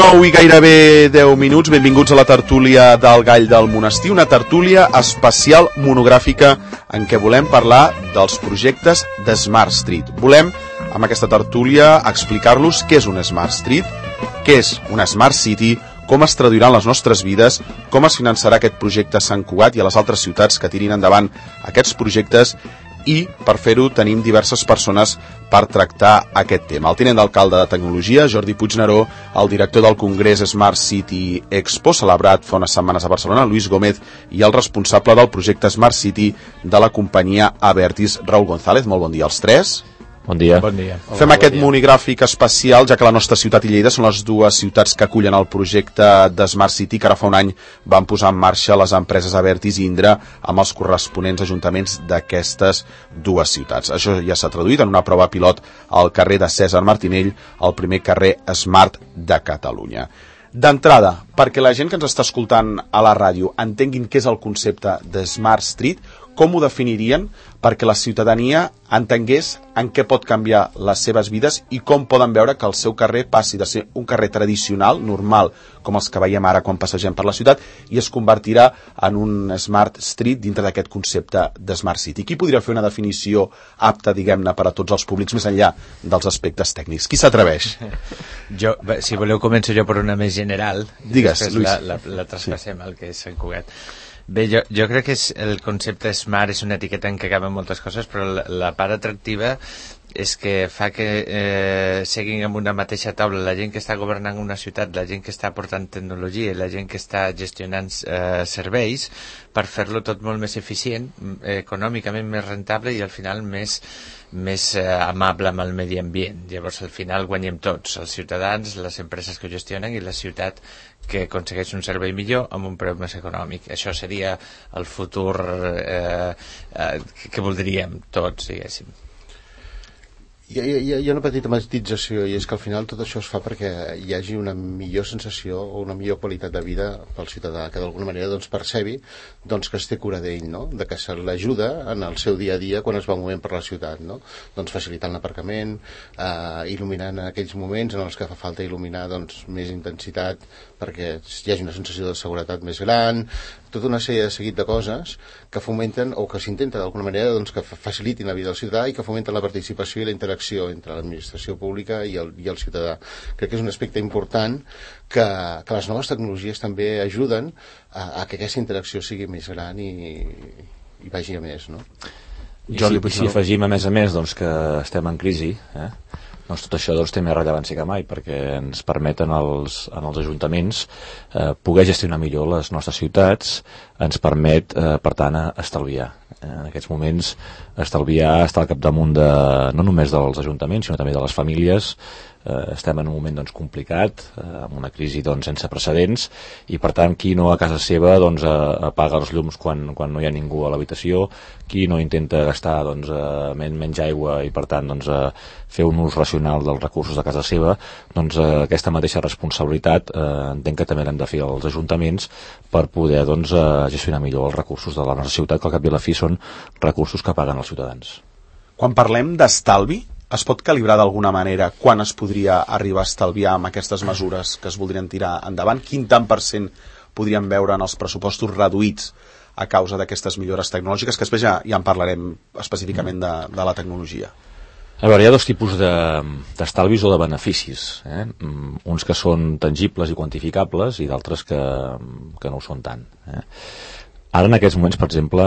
9 i gairebé 10 minuts, benvinguts a la tertúlia del Gall del Monestir, una tertúlia especial monogràfica en què volem parlar dels projectes de Smart Street. Volem, amb aquesta tertúlia, explicar-los què és un Smart Street, què és una Smart City, com es traduiran les nostres vides, com es finançarà aquest projecte a Sant Cugat i a les altres ciutats que tirin endavant aquests projectes, i per fer-ho tenim diverses persones per tractar aquest tema. El tinent d'alcalde de Tecnologia, Jordi Puigneró, el director del Congrés Smart City Expo, celebrat fa unes setmanes a Barcelona, Luis Gómez, i el responsable del projecte Smart City de la companyia Abertis, Raúl González. Molt bon dia als tres. Bon dia. Bon dia. Fem aquest monogràfic especial, ja que la nostra ciutat i Lleida són les dues ciutats que acullen el projecte de Smart City, que ara fa un any van posar en marxa les empreses Abertis i Indra amb els corresponents ajuntaments d'aquestes dues ciutats. Això ja s'ha traduït en una prova pilot al carrer de Cèsar Martinell, el primer carrer Smart de Catalunya. D'entrada, perquè la gent que ens està escoltant a la ràdio entenguin què és el concepte de Smart Street, com ho definirien perquè la ciutadania entengués en què pot canviar les seves vides i com poden veure que el seu carrer passi de ser un carrer tradicional, normal, com els que veiem ara quan passegem per la ciutat, i es convertirà en un Smart Street dintre d'aquest concepte de Smart City. Qui podria fer una definició apta, diguem-ne, per a tots els públics, més enllà dels aspectes tècnics? Qui s'atreveix? Jo, si voleu, començo jo per una més general. Digues, Lluís. La traspassem al que és Sant Cugat. Bé, jo crec que el concepte Smart és una etiqueta en què caben moltes coses, però la part atractiva és que fa que seguin amb una mateixa taula la gent que està governant una ciutat, la gent que està aportant tecnologia i la gent que està gestionant serveis, per fer-lo tot molt més eficient, econòmicament més rentable i al final més amable amb el medi ambient. Llavors al final guanyem tots, els ciutadans, les empreses que ho gestionen i la ciutat que aconsegueix un servei millor amb un preu més econòmic. Això seria el futur que voldríem tots, diguéssim. Hi ha una petita matització, i és que al final tot això es fa perquè hi hagi una millor sensació o una millor qualitat de vida pel ciutadà, que d'alguna manera percebi que es té cura d'ell, no? De que se l'ajuda en el seu dia a dia quan es va movent per la ciutat, no? Facilitant l'aparcament, il·luminant aquells moments en els que fa falta il·luminar més intensitat perquè hi hagi una sensació de seguretat més gran, tota una sèrie de seguit de coses que fomenten o que s'intenta d'alguna manera que facilitin la vida del ciutadà i que fomenten la participació i la interacció entre l'administració pública i el ciutadà. Crec que és un aspecte important que les noves tecnologies també ajuden a que aquesta interacció sigui més gran i vagi a més, no? I si afegim a més que estem en crisi, tot això té més rellevància que mai, perquè ens permeten als ajuntaments poder gestionar millor les nostres ciutats, ens permet, per tant, estalviar. En aquests moments, estalviar està al capdamunt no només dels ajuntaments, sinó també de les famílies. Estem en un moment complicat, amb una crisi sense precedents, i per tant qui no a casa seva apaga els llums quan no hi ha ningú a l'habitació, qui no intenta gastar menys aigua i per tant fer un ús racional dels recursos de casa seva, aquesta mateixa responsabilitat entenc que també l'hem de fer als ajuntaments per poder gestionar millor els recursos de la nostra ciutat, que al cap i a la fi són recursos que paguen els ciutadans. Quan parlem d'estalvi, es pot calibrar d'alguna manera quan es podria arribar a estalviar amb aquestes mesures que es voldrien tirar endavant? Quin tant % podríem veure en els pressupostos reduïts a causa d'aquestes millores tecnològiques, que després ja en parlarem específicament de la tecnologia? A veure, hi ha dos tipus d'estalvis o de beneficis, uns que són tangibles i quantificables i d'altres que no ho són tant. Ara, en aquests moments, per exemple,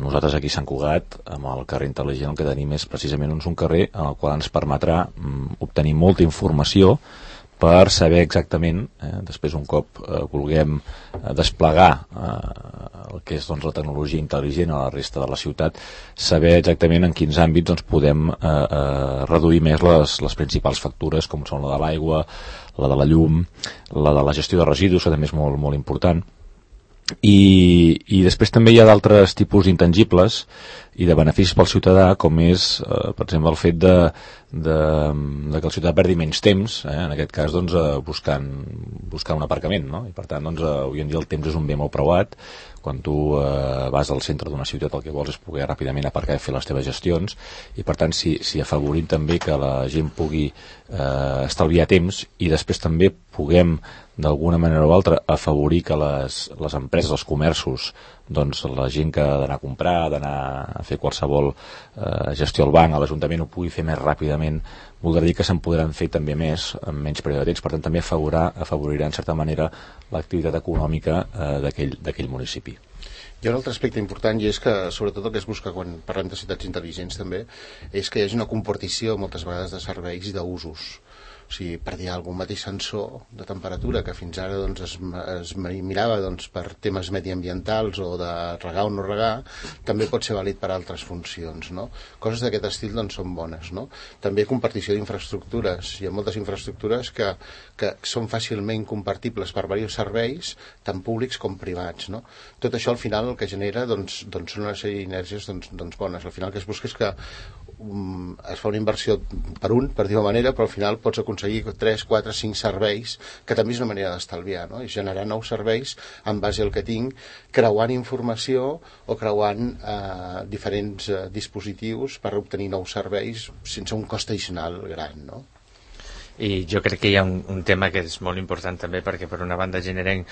nosaltres aquí a Sant Cugat, amb el carrer intel·ligent, el que tenim és precisament un carrer en el qual ens permetrà obtenir molta informació per saber exactament, després un cop vulguem desplegar el que és la tecnologia intel·ligent a la resta de la ciutat, saber exactament en quins àmbits podem reduir més les principals factures, com són la de l'aigua, la de la llum, la de la gestió de residus, que també és molt, molt important. I després també hi ha d'altres tipus d'intangibles, i de beneficis pel ciutadà, com és, per exemple, el fet de que el ciutadà perdi menys temps, en aquest cas doncs, buscant un aparcament, no? I per tant doncs, avui en dia el temps és un bé molt preuat. Quan tu vas al centre d'una ciutat el que vols és poder ràpidament aparcar i fer les teves gestions, i per tant si afavorim també que la gent pugui estalviar temps, i després també puguem d'alguna manera o altra afavorir que les empreses, els comerços, doncs la gent que ha d'anar a comprar, d'anar a fer qualsevol gestió al banc, a l'Ajuntament, ho pugui fer més ràpidament, voldrà dir que se'n podran fer també més en menys període de temps. Per tant també afavorirà en certa manera l'activitat econòmica d'aquell municipi. Hi ha un altre aspecte important, i és que sobretot el que es busca quan parlem de ciutats intel·ligents també és que hi hagi una compartició moltes vegades de serveis i d'usos. O sigui, per dir algun mateix sensor de temperatura que fins ara doncs, es mirava doncs, per temes mediambientals o de regar o no regar, també pot ser vàlid per altres funcions, no? Coses d'aquest estil doncs, són bones, no? També compartició d'infraestructures. Hi ha moltes infraestructures que són fàcilment compartibles per diversos serveis, tant públics com privats, no? Tot això al final el que genera doncs, són una sèrie d'inèrgies doncs, bones. Al final el que es busca és que es fa una inversió per dir-ho manera, però al final pots aconseguir 3, 4, 5 serveis, que també és una manera d'estalviar, no? I generar nous serveis en base al que tinc, creuant informació o creuant diferents dispositius per obtenir nous serveis sense un cost addicional gran, no? I jo crec que hi ha un tema que és molt important també, perquè per una banda generem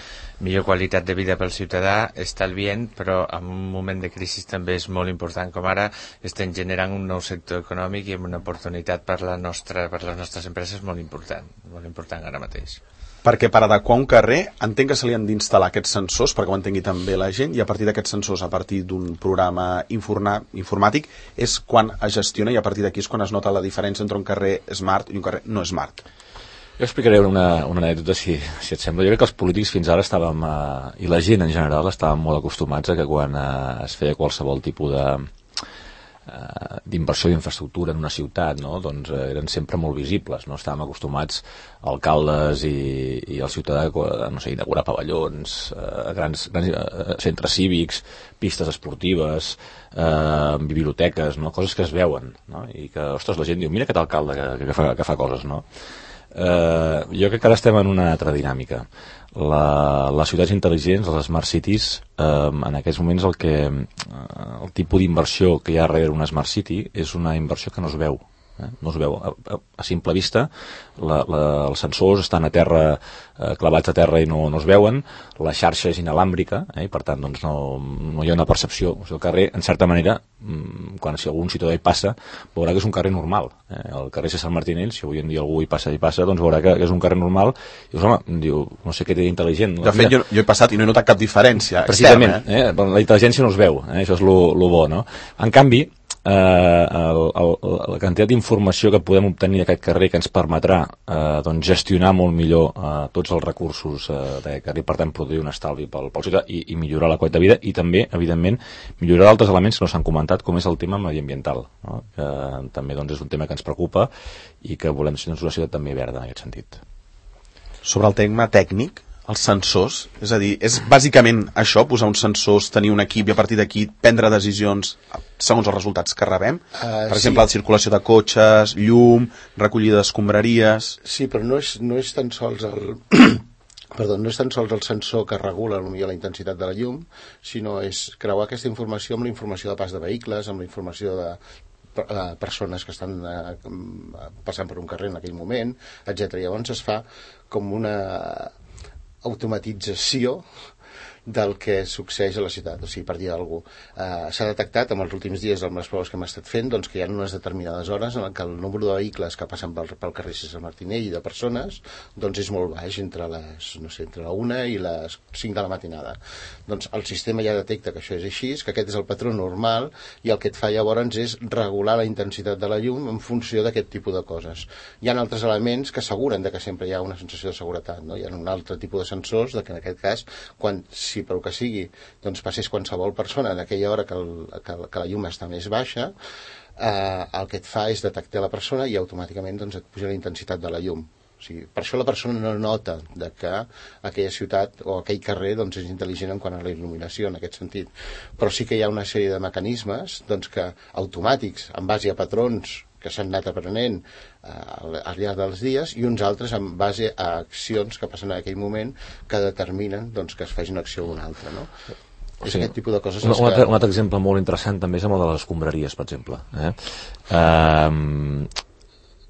millor qualitat de vida pel ciutadà, estalvient, però en un moment de crisi també és molt important, com ara estem generant un nou sector econòmic i una oportunitat per les nostres empreses molt important ara mateix. Perquè per adequar un carrer entenc que se li han d'instal·lar aquests sensors perquè ho entengui també la gent, i a partir d'aquests sensors, a partir d'un programa informàtic, és quan es gestiona, i a partir d'aquí és quan es nota la diferència entre un carrer smart i un carrer no smart. Jo explicaré una anècdota, si et sembla. Jo crec que els polítics fins ara estàvem, i la gent en general, estàvem molt acostumats a que quan es feia qualsevol tipus d'inversió d'infraestructura en una ciutat, no? Doncs eren sempre molt visibles, no? Estàvem acostumats alcaldes i el ciutadà a inaugurar pavellons, grans centres cívics, pistes esportives, biblioteques, no? Coses que es veuen, no? I que, ostres, la gent diu, mira aquest alcalde que fa coses, no? Jo crec que ara estem en una altra dinàmica. Les ciutats intel·ligents, les smart cities, en aquests moments el tipus d'inversió que hi ha darrere una smart city és una inversió que no es veu. No es veu a simple vista. Els sensors estan a terra, clavats a terra, i no es veuen. La xarxa és inalàmbrica, i per tant doncs, no hi ha una percepció. O sigui, el carrer, en certa manera, si algun ciutadà hi passa, veurà que és un carrer normal. El carrer César Martinell, si avui en dia algú hi passa, doncs veurà que és un carrer normal, i dius, home, no sé què té d'intel·ligent. De fet, jo he passat i no he notat cap diferència precisament, externa. La intel·ligència no es veu, això és lo bo, no? En canvi, la quantitat d'informació que podem obtenir d'aquest carrer, que ens permetrà doncs gestionar molt millor tots els recursos d'aquest carrer, per tant produir un estalvi pel ciutadà i millorar la qualitat de vida, i també, evidentment, millorar d'altres elements que no s'han comentat, com és el tema mediambiental, no? Que també doncs, és un tema que ens preocupa i que volem ser una ciutat també verda en aquest sentit. Sobre el tema tècnic, els sensors, és a dir, és bàsicament això, posar uns sensors, tenir un equip i a partir d'aquí prendre decisions segons els resultats que rebem? Per exemple, la circulació de cotxes, llum, recollida d'escombraries... Sí, però no és tan sols no és tan sols el sensor que regula potser la intensitat de la llum, sinó és creuar aquesta informació amb la informació de pas de vehicles, amb la informació de persones que estan passant per un carrer en aquell moment, etc. Llavors es fa com una automatització del que succeeix a la ciutat. O sigui, per dir alguna cosa, s'ha detectat en els últims dies amb les proves que hem estat fent doncs, que hi ha unes determinades hores en què el número de vehicles que passen pel carrer César Martinell i de persones doncs és molt baix, entre la 1 i les 5 de la matinada. Doncs el sistema ja detecta que això és així, que aquest és el patró normal, i el que et fa llavors és regular la intensitat de la llum en funció d'aquest tipus de coses. Hi ha altres elements que asseguren que sempre hi ha una sensació de seguretat, no? Hi ha un altre tipus de sensors que en aquest cas, si per que sigui doncs passés qualsevol persona en aquella hora que la llum està més baixa, el que et fa és detectar la persona i automàticament doncs, et puja la intensitat de la llum. O sigui, per això la persona no nota de que aquella ciutat o aquell carrer doncs, és intel·ligent en quant a la il·luminació, en aquest sentit. Però sí que hi ha una sèrie de mecanismes doncs, que automàtics, en base a patrons que s'han anat aprenent al llarg dels dies, i uns altres en base a accions que passen en aquell moment que determinen doncs, que es faci una acció o una altra, no? És aquest tipus de coses un altre exemple molt interessant també és amb el de les escombraries, per exemple.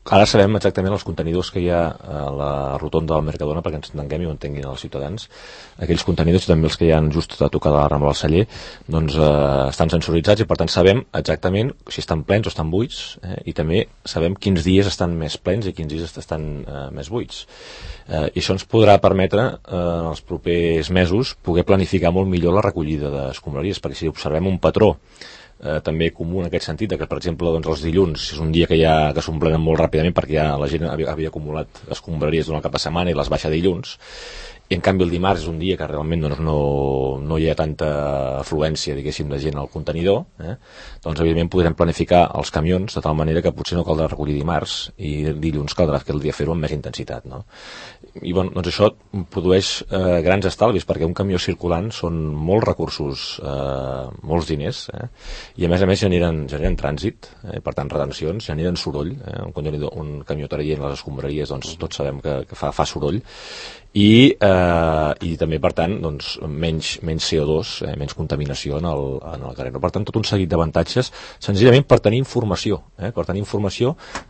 Ara sabem exactament els contenidors que hi ha a la rotonda del Mercadona, perquè ens entenguem i ho entenguin els ciutadans. Aquells contenidors i també els que hi ha just a tocar de la Rambla del Celler doncs, estan sensoritzats i per tant sabem exactament si estan plens o estan buits, i també sabem quins dies estan més plens i quins dies estan més buits. I això ens podrà permetre en els propers mesos poder planificar molt millor la recollida d'escombraries, perquè si observem un patró també comú en aquest sentit, que per exemple doncs, els dilluns és un dia que s'omplenen molt ràpidament perquè ja la gent havia acumulat escombraries durant el cap de setmana i les baixa dilluns, i en canvi el dimarts és un dia que realment doncs, no hi ha tanta afluència, diguéssim, de gent al contenidor, doncs evidentment podrem planificar els camions de tal manera que potser no caldrà recollir dimarts i dilluns caldrà aquell dia fer-ho amb més intensitat, no? I bueno, doncs això produeix grans estalvis, perquè un camió circulant són molts recursos, molts diners, i a més generen trànsit, per tant retencions, generen soroll, un camió traient les escombraries doncs tots sabem que fa soroll, i també per tant doncs, menys CO2, menys contaminació en el carrer. Per tant, tot un seguit d'avantatges senzillament per tenir informació,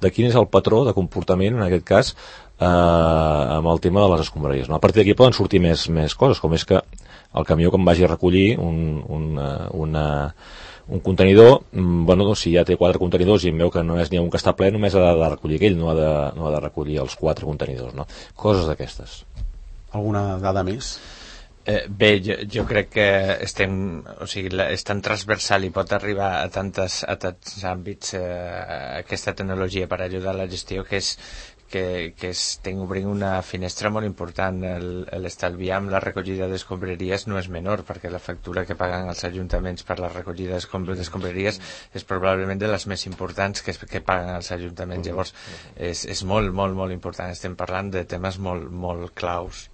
de quin és el patró de comportament en aquest cas amb el tema de les escombraries, no? A partir d'aquí poden sortir més coses, com és que el camió quan vagi a recollir un contenidor, bueno, si ja té 4 contenidors i em veu que només n'hi ha un que està ple, només ha de recollir aquell, no ha de recollir els 4 contenidors, no? Coses d'aquestes. Alguna dada més? Bé, jo crec que és tan transversal i pot arribar a tants àmbits aquesta tecnologia per ajudar a la gestió que estem obrint una finestra molt important. L'estalviar amb la recollida d'escombraries no és menor, perquè la factura que paguen els ajuntaments per la recollida d'escombraries és probablement de les més importants que paguen els ajuntaments. Llavors és molt, molt, molt important. Estem parlant de temes molt, molt claus.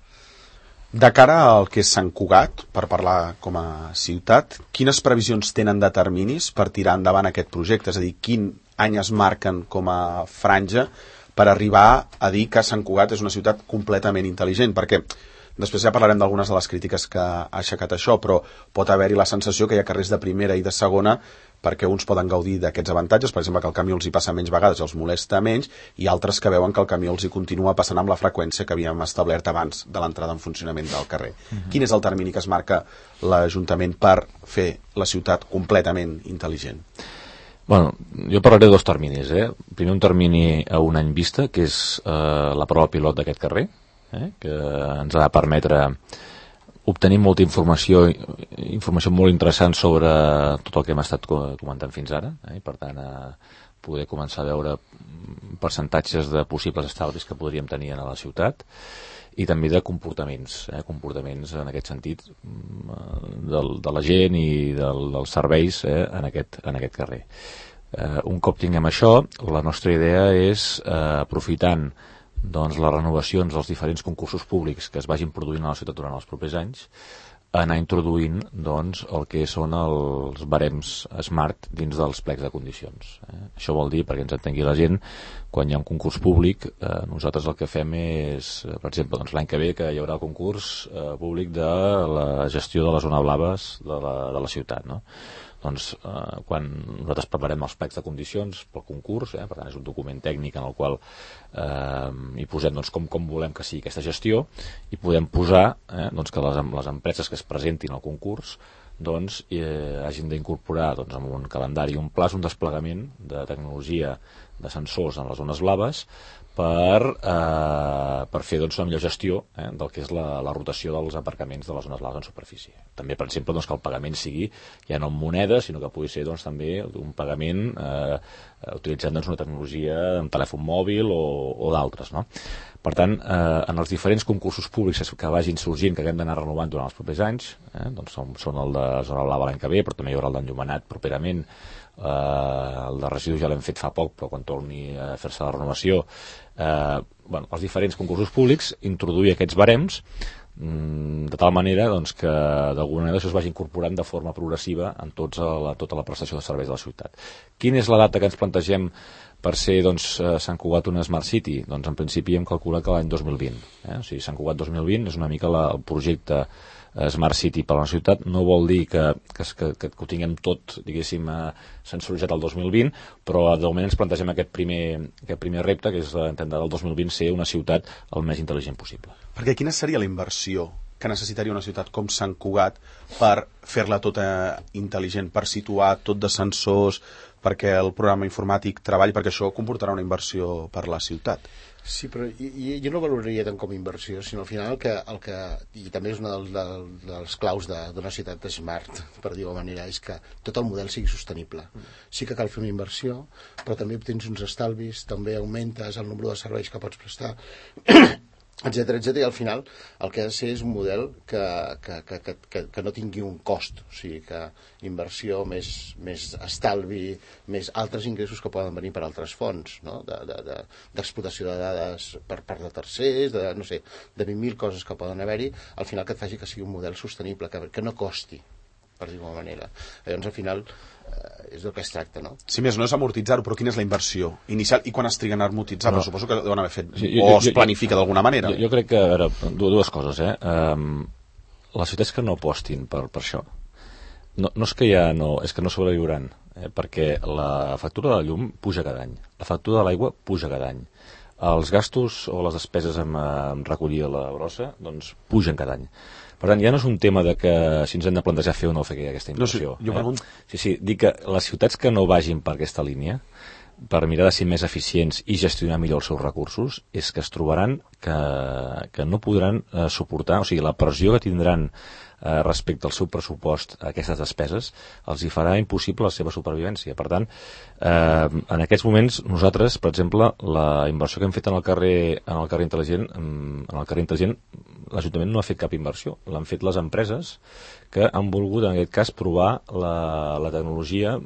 De cara al que és Sant Cugat, per parlar com a ciutat, quines previsions tenen de terminis per tirar endavant aquest projecte? És a dir, quin any es marquen com a franja per arribar a dir que Sant Cugat és una ciutat completament intel·ligent? Perquè després ja parlarem d'algunes de les crítiques que ha aixecat això, però pot haver-hi la sensació que hi ha carrers de primera i de segona perquè uns poden gaudir d'aquests avantatges, per exemple que el camió els hi passa menys vegades, els molesta menys, i altres que veuen que el camió els hi continua passant amb la freqüència que havíem establert abans de l'entrada en funcionament del carrer. Quin és el termini que es marca l'Ajuntament per fer la ciutat completament intel·ligent? Bueno, jo parlaré de 2 terminis. Primer un termini a un any vista, que és la prova pilot d'aquest carrer, que ens ha de permetre obtenir molta informació molt interessant sobre tot el que hem estat comentant fins ara, i per tant poder començar a veure percentatges de possibles estalvis que podríem tenir a la ciutat, i també de comportaments en aquest sentit de la gent i dels serveis en aquest carrer. Un cop tinguem això, la nostra idea és, aprofitant doncs, les renovacions dels diferents concursos públics que es vagin produint a la ciutat durant els propers anys, anar introduint doncs, el que són els barems smart dins dels plecs de condicions. Això vol dir, perquè ens entengui la gent, quan hi ha un concurs públic, nosaltres el que fem és, per exemple, doncs, l'any que ve que hi haurà el concurs públic de la gestió de les zones blaves de la ciutat, no? Doncs quan nosaltres preparem els plecs de condicions pel concurs, per tant és un document tècnic en el qual hi posem doncs, com volem que sigui aquesta gestió, i podem posar doncs, que les empreses que es presentin al concurs doncs, hagin d'incorporar doncs, en un calendari un pla, un desplegament de tecnologia de sensors en les zones blaves per fer doncs, una millor gestió del que és la rotació dels aparcaments de les zones blaves en superfície. També, per exemple, doncs, que el pagament sigui ja no en moneda, sinó que pugui ser doncs, també un pagament utilitzant doncs, una tecnologia en telèfon mòbil o d'altres, no? Per tant, en els diferents concursos públics que vagin sorgint, que haguem d'anar renovant durant els propers anys, doncs són el de Zona Blava l'any que ve, però també hi haurà el d'Enllumenat properament, el de residus ja l'hem fet fa poc, però quan torni a fer-se la renovació, els diferents concursos públics, introduir aquests barems de tal manera doncs, que d'alguna manera això es vagi incorporant de forma progressiva en tota la prestació de serveis de la ciutat. Quina és la data que ens plantegem per ser Sant Cugat una Smart City? Doncs en principi hem calculat que l'any 2020. O sigui, Sant Cugat 2020 és una mica el projecte Smart City per a la ciutat. No vol dir que ho tinguem tot, diguéssim, sensoritzat el 2020, però de moment ens plantegem aquest primer repte, que és intentar el 2020 ser una ciutat el més intel·ligent possible. Perquè quina seria la inversió que necessitaria una ciutat com Sant Cugat per fer-la tota intel·ligent, per situar tot de sensors, perquè el programa informàtic treballi, perquè això comportarà una inversió per la ciutat? Sí, però jo no valoraria tant com a inversió, sinó al final el que i també és una dels claus d'una ciutat smart, per dir-ho manera, és que tot el model sigui sostenible. Sí que cal fer una inversió, però també obtens uns estalvis, també augmentes el nombre de serveis que pots prestar, etcètera, i al final el que ha de ser és un model que no tingui un cost, o sigui que inversió més estalvi, més altres ingressos que poden venir per altres fonts, no? D'explotació de dades per part de tercers, de 20.000 coses que poden haver-hi, al final que et faci que sigui un model sostenible, que no costi, per dir-ho manera. Llavors al final és del que es tracta, no? Si més no és amortitzar-ho, però quina és la inversió inicial i quan es triguen a amortitzar? Però suposo que deuen haver fet, es planifica d'alguna manera. Jo crec que, a veure, dues coses, les ciutats que no apostin per això, no és que és que no sobreviuran, perquè la factura de la llum puja cada any, la factura de l'aigua puja cada any, els gastos o les despeses en recollir la brossa doncs pugen cada any. Per tant, ja no és un tema de que si ens hem de plantejar fer o no fer aquesta inversió. Jo pregunto... Sí, dic que les ciutats que no vagin per aquesta línia, per mirar de ser més eficients i gestionar millor els seus recursos, és que es trobaran que no podran suportar, o sigui, la pressió que tindran respecte al seu pressupost a aquestes despeses els hi farà impossible la seva supervivència. Per tant, en aquests moments nosaltres, per exemple, la inversió que hem fet en el carrer intel·ligent, l'Ajuntament no ha fet cap inversió, l'han fet les empreses que han volgut en aquest cas provar la tecnologia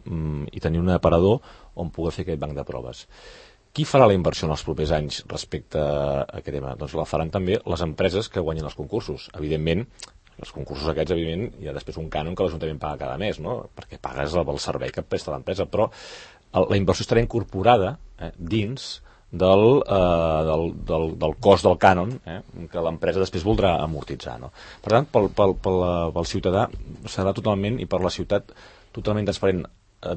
i tenir un aparador on poder fer aquest banc de proves. Qui farà la inversió en els propers anys respecte a aquest tema? Doncs la faran també les empreses que guanyin els concursos. Evidentment, els concursos aquests, evidentment, hi ha després un cànon que l'Ajuntament paga cada mes, no? Perquè pagues el servei que presta l'empresa, però la inversió estarà incorporada dins del cost del cànon que l'empresa després voldrà amortitzar, no? Per tant, pel ciutadà serà totalment, i per la ciutat, totalment transparent.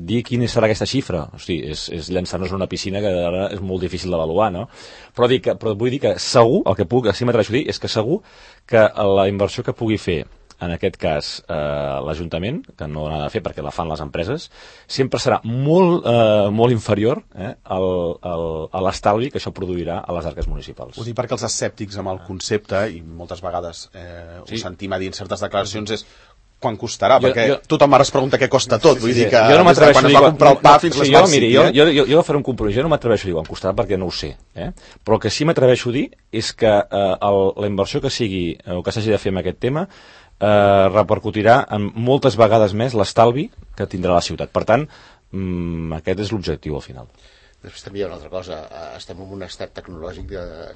Dir quina serà aquesta xifra, o sigui, és llançar-nos en una piscina que ara és molt difícil d'avaluar, no? Però vull dir que segur, el que puc, així m'atreveixo a dir, és que segur que la inversió que pugui fer, en aquest cas l'Ajuntament, que no l'ha de fer perquè la fan les empreses, sempre serà molt inferior a l'estalvi que això produirà a les arques municipals. Ho dic perquè els escèptics amb el concepte, i moltes vegades ho sentim a dir en certes declaracions, és quan costarà, perquè tothom ara es pregunta què costa tot, vull dir que jo no m'atreveixo quan es va comprar el pa fins l'Smart City. Jo faré un compromís, jo no m'atreveixo a dir quan costarà perquè no ho sé, però el que sí m'atreveixo a dir és que la inversió que sigui o que s'hagi de fer en aquest tema repercutirà en moltes vegades més l'estalvi que tindrà la ciutat. Per tant, aquest és l'objectiu al final. Després també hi ha una altra cosa, estem en un estat tecnològic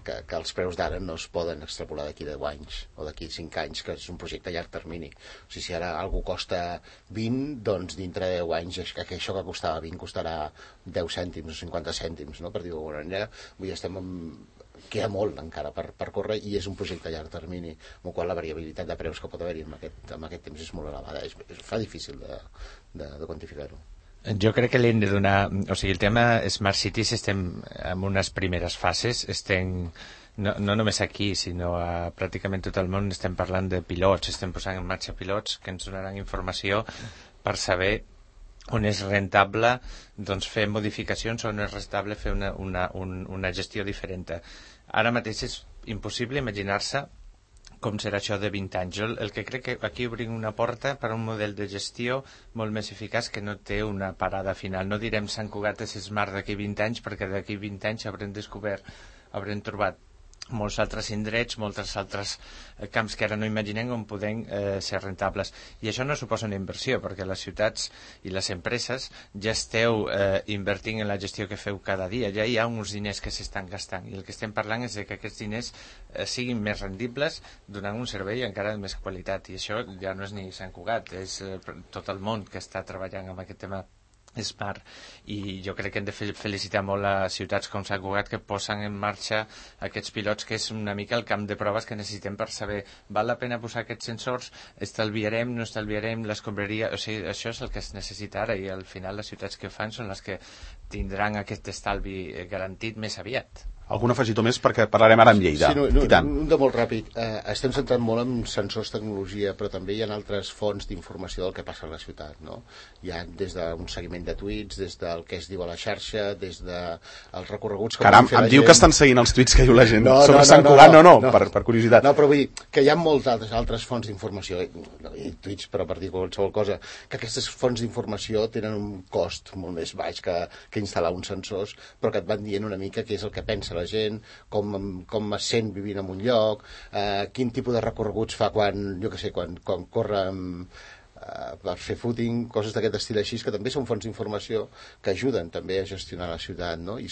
que els preus d'ara no es poden extrapolar d'aquí 10 anys o d'aquí 5 anys, que és un projecte a llarg termini. O sigui, si ara algú costa 20, doncs dintre de 10 anys això que costava 20 costarà 10 cèntims o 50 cèntims, no? Per dir-ho d'alguna manera. Vull dir, queda molt encara per córrer i és un projecte a llarg termini, amb el qual la variabilitat de preus que pot haver-hi en aquest temps és molt elevada. Fa difícil de quantificar-ho. Jo crec que li hem de donar... O sigui, el tema Smart Cities estem en unes primeres fases, no només aquí, sinó a pràcticament tot el món estem parlant de pilots, estem posant en marxa pilots que ens donaran informació per saber on és rentable doncs, fer modificacions o on és rentable fer una gestió diferent. Ara mateix és impossible imaginar-se com serà això de 20 anys. Jo el que crec que aquí obrim una porta per a un model de gestió molt més eficaç que no té una parada final. No direm Sant Cugat és smart d'aquí 20 anys perquè d'aquí 20 anys haurem trobat molts altres indrets, molts altres camps que ara no imaginem on poden ser rentables. I això no suposa una inversió, perquè les ciutats i les empreses ja esteu invertint en la gestió que feu cada dia. Ja hi ha uns diners que s'estan gastant i el que estem parlant és de que aquests diners siguin més rendibles donant un servei encara de més qualitat. I això ja no és ni Sant Cugat, és tot el món que està treballant amb aquest tema Smart, i jo crec que hem de felicitar molt a ciutats com Sant Cugat que posen en marxa aquests pilots, que és una mica el camp de proves que necessitem per saber val la pena posar aquests sensors, estalviarem, no estalviarem, l'escombraria, o sigui, això és el que es necessita ara, i al final les ciutats que ho fan són les que tindran aquest estalvi garantit més aviat. Algun afegitó més, perquè parlarem ara amb Lleida. Sí, un de molt ràpid. Estem centrant molt en sensors, tecnologia, però també hi ha altres fonts d'informació del que passa a la ciutat, no? Hi ha des d'un seguiment de tuits, des del que es diu a la xarxa, des dels recorreguts que Caram, em diu que estan seguint els tuits que diu la gent sobre Sant Cugat, no, per curiositat. No, però vull dir que hi ha moltes altres fonts d'informació, i tuits, però per dir qualsevol cosa, que aquestes fonts d'informació tenen un cost molt més baix que instal·lar uns sensors, però que et van dient una mica què és el que pensa la gent, com es sent vivint en un lloc, quin tipus de recorreguts fa quan corre per fer footing, coses d'aquest estil així, que també són fonts d'informació que ajuden també a gestionar la ciutat, no? I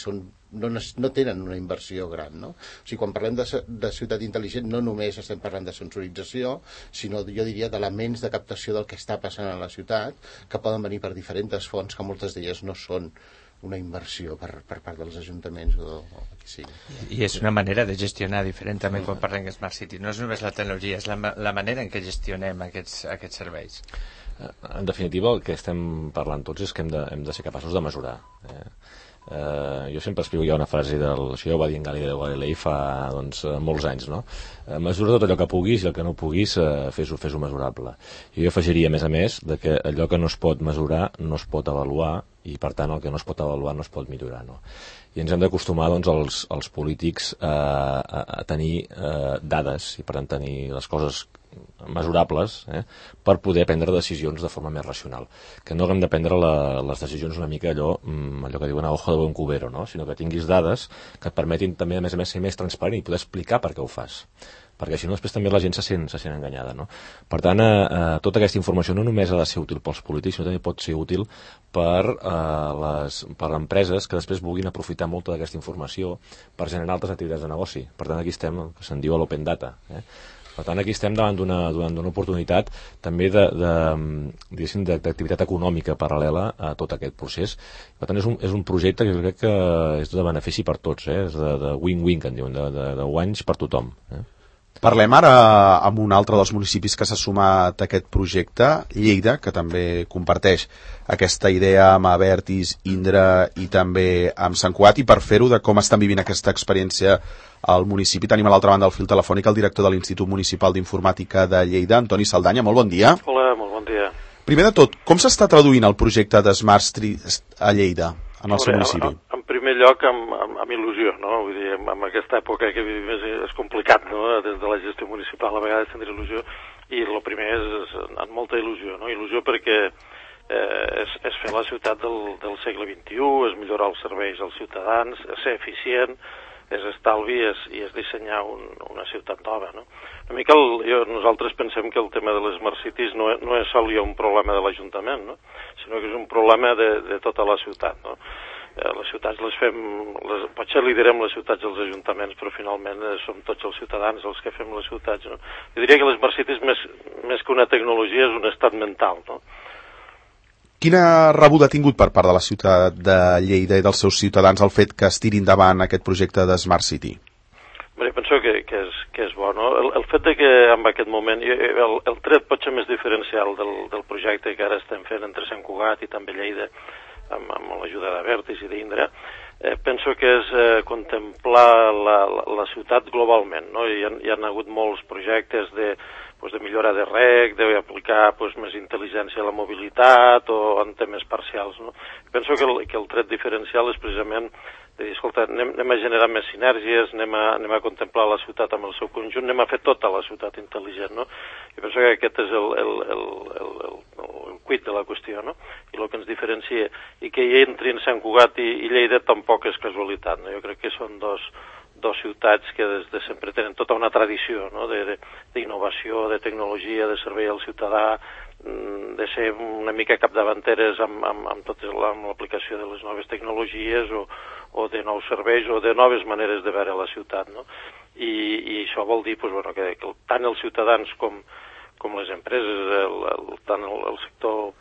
no tenen una inversió gran, no? O sigui, quan parlem de ciutat intel·ligent no només estem parlant de sensorització, sinó, jo diria, d'elements de captació del que està passant a la ciutat, que poden venir per diferents fonts, que moltes d'elles no són una inversió per part dels ajuntaments o qui sigui. I és una manera de gestionar diferent també quan parlem de Smart City. No és només la tecnologia, és la manera en què gestionem aquests serveis. En definitiva, el que estem parlant tots és que hem de ser capaços de mesurar. Jo sempre explico ja una frase això ja ho va dir en Galileo Galilei fa molts anys, no? Mesura tot allò que puguis, i el que no puguis fes-ho mesurable. Jo afegiria, a més, que allò que no es pot mesurar no es pot avaluar, i per tant el que no es pot avaluar no es pot millorar, no? I ens hem d'acostumar els polítics a tenir dades, i per tant tenir les coses mesurables, per poder prendre decisions de forma més racional, que no haguem de prendre les decisions una mica allò que diuen a ojo de buen cubero, no? Sinó que tinguis dades que et permetin també, a més ser més transparent i poder explicar per què ho fas, perquè si no després també la gent se sent enganyada, no? Per tant, tota aquesta informació no només ha de ser útil pels polítics, sinó també pot ser útil per empreses que després vulguin aprofitar molta d'aquesta informació per generar altres activitats de negoci. Per tant, aquí estem, el que se'n diu l'open data. Per tant, aquí estem davant d'una oportunitat també d'activitat econòmica paral·lela a tot aquest procés. Per tant, és un projecte que jo crec que és de benefici per tots, és de win-win, que en diuen, de guanys per tothom. Parlem ara amb un altre dels municipis que s'ha sumat a aquest projecte, Lleida, que també comparteix aquesta idea amb Abertis, Indra i també amb Sant Cugat, i per fer-ho de com estan vivint aquesta experiència al municipi tenim a l'altra banda del fil telefònic el director de l'Institut Municipal d'Informàtica de Lleida, Antoni Saldanya. Molt bon dia. Hola, molt bon dia. Primer de tot, com s'està traduint el projecte de Smart Street a Lleida, en el seu municipi? En primer lloc, amb il·lusió, no? Vull dir, amb aquesta època que vivim és complicat, no? Des de la gestió municipal a vegades tindre il·lusió, i el primer és amb molta il·lusió, no? Il·lusió perquè és fer la ciutat del segle XXI, és millorar els serveis als ciutadans, és ser eficient, és estalvi i és dissenyar una ciutat nova, no? Una mica nosaltres pensem que el tema de les Smart Cities no és sol un problema de l'Ajuntament, no? Sinó que és un problema de tota la ciutat, no? Les ciutats les fem, potser liderem les ciutats dels ajuntaments, però finalment som tots els ciutadans els que fem les ciutats, no? Jo diria que les Smart Cities, més que una tecnologia, és un estat mental, no? Quina rebuda ha tingut per part de la ciutat de Lleida i dels seus ciutadans el fet que es tiri endavant aquest projecte de Smart City? Bé, penso que és bo, no? El fet de que en aquest moment, el tret potser més diferencial del projecte que ara estem fent entre Sant Cugat i també Lleida, amb l'ajuda d'Abertis i d'Indra, penso que és contemplar la ciutat globalment, no? Hi ha hagut molts projectes de millora de reg, d'aplicar més intel·ligència a la mobilitat o en temes parcials, no? Penso que el tret diferencial és precisament de dir, escolta, anem a generar més sinergies, anem a contemplar la ciutat amb el seu conjunt, anem a fer tota la ciutat intel·ligent, no? I penso que aquest és el quid de la qüestió, no? I el que ens diferencia, i que hi entrin Sant Cugat i Lleida tampoc és casualitat, no? Jo crec que són dos dos ciutats que des de sempre tenen tota una tradició, no?, d'innovació, de tecnologia, de servei al ciutadà, de ser una mica capdavanteres amb l'aplicació de les noves tecnologies o de nous serveis o de noves maneres de veure la ciutat, no? I això vol dir que tant els ciutadans com les empreses, tant el sector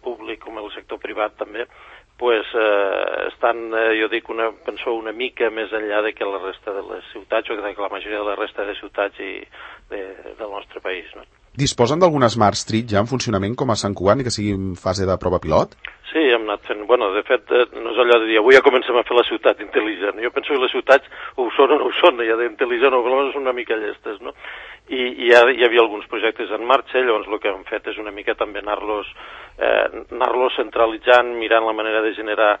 públic com el sector privat també, estan, jo dic, penso una mica més enllà de que la resta de les ciutats o que la majoria de la resta de ciutats del nostre país, no? Disposen d'alguna Smart Street ja en funcionament com a Sant Cugat i que sigui en fase de prova pilot? Sí, hem anat fent... de fet, no és allò de dir avui ja comencem a fer la ciutat intel·ligent. Jo penso que les ciutats o ho són o no ho són, ja d'intel·ligent o almenys són una mica llestes, no? I ja hi havia alguns projectes en marxa, llavors el que hem fet és una mica també anar-los centralitzant, mirant la manera de generar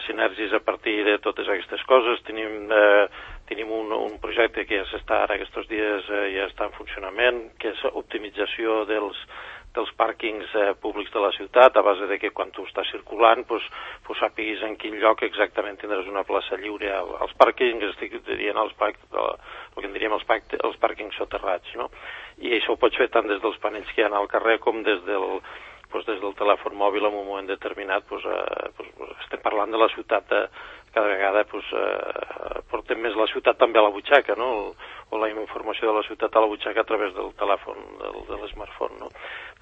sinergis a partir de totes aquestes coses. Tenim un projecte que ja s'està ara aquests dies, ja està en funcionament, que és optimització dels pàrquings públics de la ciutat, a base de que quan tu estàs circulant sàpiguis en quin lloc exactament tindràs una plaça lliure. Els pàrquings, estic dient el que en diríem els pàrquings soterrats, no? I això ho pots fer tant des dels panells que hi ha al carrer com des del telèfon mòbil en un moment determinat. Estem parlant de la ciutat, cada vegada portem més la ciutat també a la butxaca, no? O la informació de la ciutat a la butxaca a través del telèfon, de l'smartphone, no?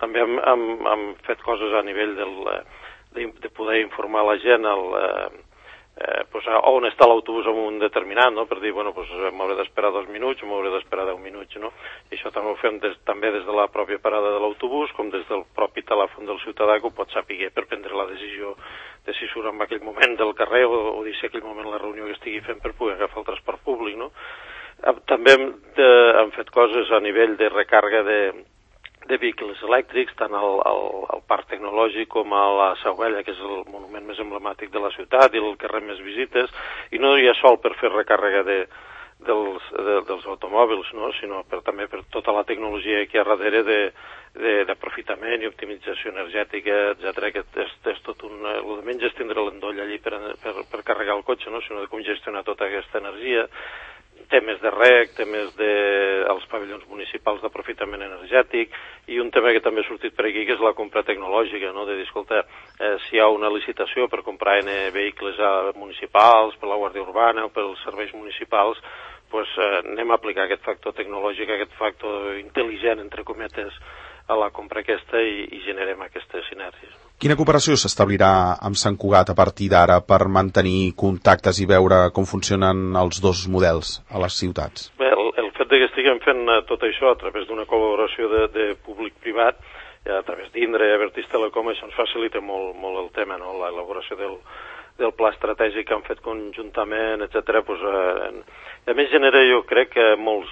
També hem fet coses a nivell de poder informar la gent on està l'autobús en un determinat, no? Per dir, m'hauré d'esperar 2 minuts o m'hauré d'esperar 10 minuts, no? I això també ho fem també des de la pròpia parada de l'autobús, com des del propi telèfon del ciutadà, que ho pot saber per prendre la decisió de si surt en aquell moment del carrer o deixar aquell moment la reunió que estigui fent per poder agafar el transport públic, no? També hem fet coses a nivell de recàrrega de vehicles elèctrics, tant al parc tecnològic com a la Sauella, que és el monument més emblemàtic de la ciutat i el que rep més visites, i no hi ha sol per fer recàrrega dels automòbils, no? Sinó també per tota la tecnologia que hi ha darrere d'aprofitament i optimització energètica, etcètera, que és tot el de menys és tindre l'endoll allí per carregar el cotxe, no? Sinó de com gestionar tota aquesta energia, temes de rec, temes dels pavellons municipals d'aprofitament energètic, i un tema que també ha sortit per aquí, que és la compra tecnològica, no? De dir, escolta, si hi ha una licitació per comprar vehicles municipals, per la Guàrdia Urbana o pels serveis municipals, anem a aplicar aquest factor tecnològic, aquest factor intel·ligent, entre cometes, a la compra aquesta i generem aquestes sinergies. Quina cooperació s'establirà amb Sant Cugat a partir d'ara per mantenir contactes i veure com funcionen els dos models a les ciutats? Bé, el fet que estiguem fent tot això a través d'una col·laboració de públic-privat, a través d'Indra i Abertis Telecom, això ens facilita molt el tema, no? L'elaboració del pla estratègic que han fet conjuntament, etc. A més genera, jo crec, molts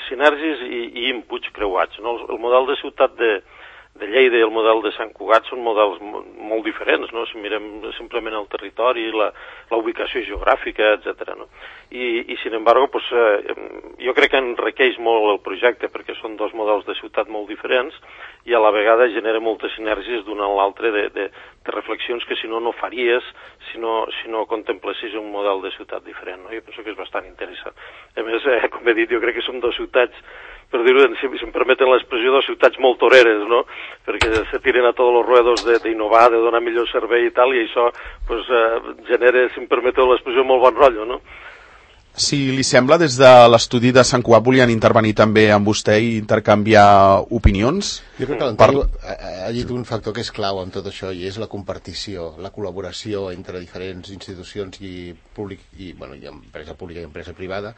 sinergis i inputs creuats, no? El model de ciutat de Lleida i el model de Sant Cugat són models molt diferents, no? Si mirem simplement el territori, la ubicació geogràfica, etc. No? I sin embargo, jo crec que enriqueix molt el projecte perquè són dos models de ciutat molt diferents i a la vegada genera moltes sinergies d'un a l'altre de reflexions que si no faries si no contemplessis un model de ciutat diferent, no? Jo penso que és bastant interessant. A més, com he dit, jo crec que som dues ciutats, per dir-ho, si em permeten l'expressió, dues ciutats molt toreres, no? Perquè se tiren a tots els ruedos d'innovar, de donar millor servei i tal, i això genera, si em permeteu l'expressió, molt bon rotllo, no? Si li sembla, des de l'estudi de Sant Cugat volien intervenir també amb vostè i intercanviar opinions? Jo crec que l'Antoni ha dit un factor que és clau en tot això i és la compartició, la col·laboració entre diferents institucions i empresa pública i empresa privada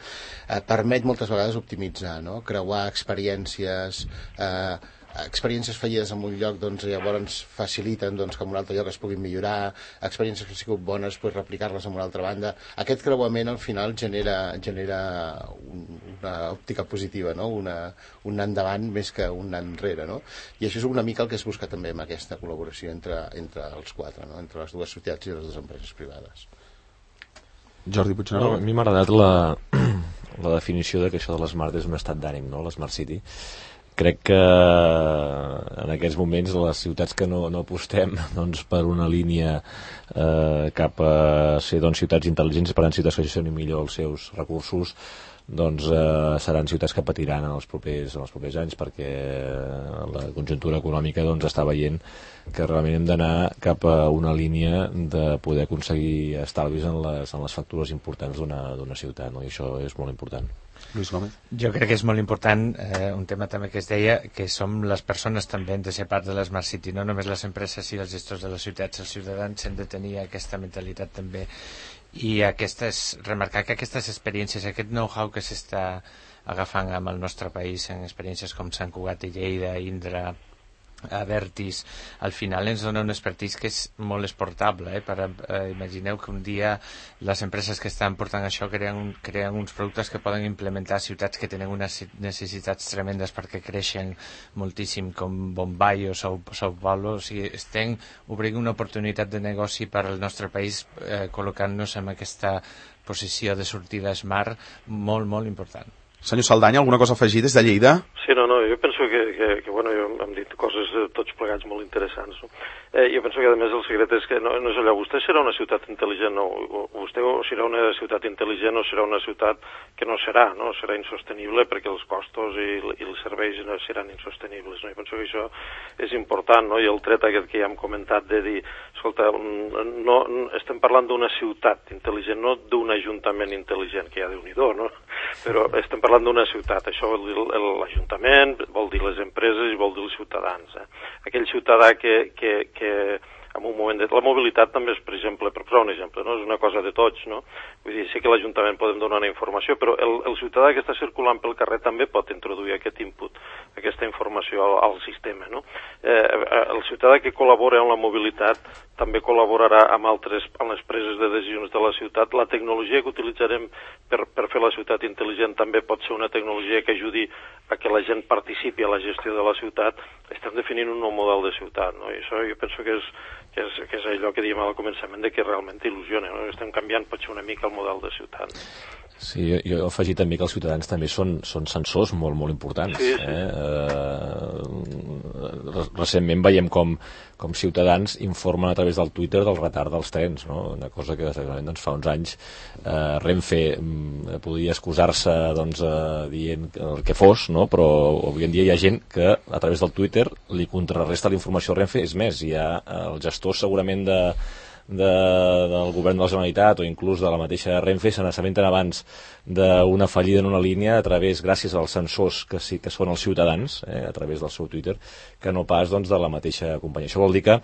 permet moltes vegades optimitzar, no? Creuar experiències fallides en un lloc, doncs llavors faciliten que en un altre lloc es puguin millorar, experiències que han sigut bones, replicar-les en una altra banda. Aquest creuament al final genera una òptica positiva, no? Un anar endavant més que un anar enrere, no? I això és una mica el que es busca també amb aquesta col·laboració entre els quatre, no? Entre les dues ciutats i les dues empreses privades. Jordi Puigneró. A mi m'ha agradat la definició de que això de l'Smart és un estat d'ànim, no? L'Smart City. crec que en aquests moments les ciutats que no apostem doncs, per una línia cap a ser ciutats intel·ligents, per tant ciutats que gestionin millor els seus recursos, doncs seran ciutats que patiran en els propers anys, perquè la conjuntura econòmica doncs, està veient que realment hem d'anar cap a una línia de poder aconseguir estalvis en les factures importants d'una ciutat, no? I això és molt important. Lluís Gómez. Jo crec que és molt important un tema també que es deia, que som les persones també hem de ser part de l'Smart City, no només les empreses i els gestors de les ciutats, els ciutadans hem de tenir aquesta mentalitat també, i remarcar que aquestes experiències, aquest know-how que s'està agafant amb el nostre país en experiències com Sant Cugat i Lleida, Indra, Avertis, al final ens dona un expertís que és molt exportable, imagineu que un dia les empreses que estan portant això creen uns productes que poden implementar a ciutats que tenen unes necessitats tremendes perquè creixen moltíssim, com Bombay o Sao Paulo. O sigui, estem obrint una oportunitat de negoci per al nostre país, col·locant-nos en aquesta posició de sortida smart molt, molt important. Senyor Saldanya, alguna cosa a afegir des de Lleida? Sí, no, jo penso que bueno, hem dit coses tots plegats molt interessants, no? Jo penso que a més el secret és que no és allò, vostè serà una ciutat intel·ligent, no, vostè serà una ciutat intel·ligent o serà una ciutat que no serà insostenible perquè els costos i els serveis no seran insostenibles, no? Jo penso que això és important, no? I el tret aquest que ja hem comentat de dir, escolta, no, estem parlant d'una ciutat intel·ligent, no d'un ajuntament intel·ligent, que ja Déu-n'hi-do, no? Però estem parlant d'una ciutat, això vol dir l'Ajuntament, vol dir les empreses i vol dir els ciutadans. Aquell ciutadà que en un moment la mobilitat també és, per exemple, per posar un exemple, no? És una cosa de tots, no? Vull dir, sí que l'Ajuntament podem donar una informació, però el ciutadà que està circulant pel carrer també pot introduir aquest input, aquesta informació al sistema, no? El ciutadà que col·labora en la mobilitat també col·laborarà amb les preses de decisions de la ciutat. La tecnologia que utilitzarem per fer la ciutat intel·ligent també pot ser una tecnologia que ajudi a que la gent participi a la gestió de la ciutat. Estem definint un nou model de ciutat, no? I això jo penso que és allò que dèiem al començament, de que realment il·lusiona, no? Estem canviant potser una mica el model de ciutat. Sí, jo he afegit també que els ciutadans també són sensors molt, molt importants. Sí, sí. Recentment veiem com ciutadans informen a través del Twitter del retard dels trens, no? Una cosa que doncs, fa uns anys Renfe podia excusar-se doncs, dient el que fos, no? Però avui en dia hi ha gent que a través del Twitter li contrarresta la informació a Renfe. És més, hi ha els gestors segurament del govern de la Generalitat o inclús de la mateixa Renfe se n'assabenten abans d'una fallida en una línia gràcies als sensors que sí que són els ciutadans a través del seu Twitter, que no pas doncs, de la mateixa companyia. Això vol dir que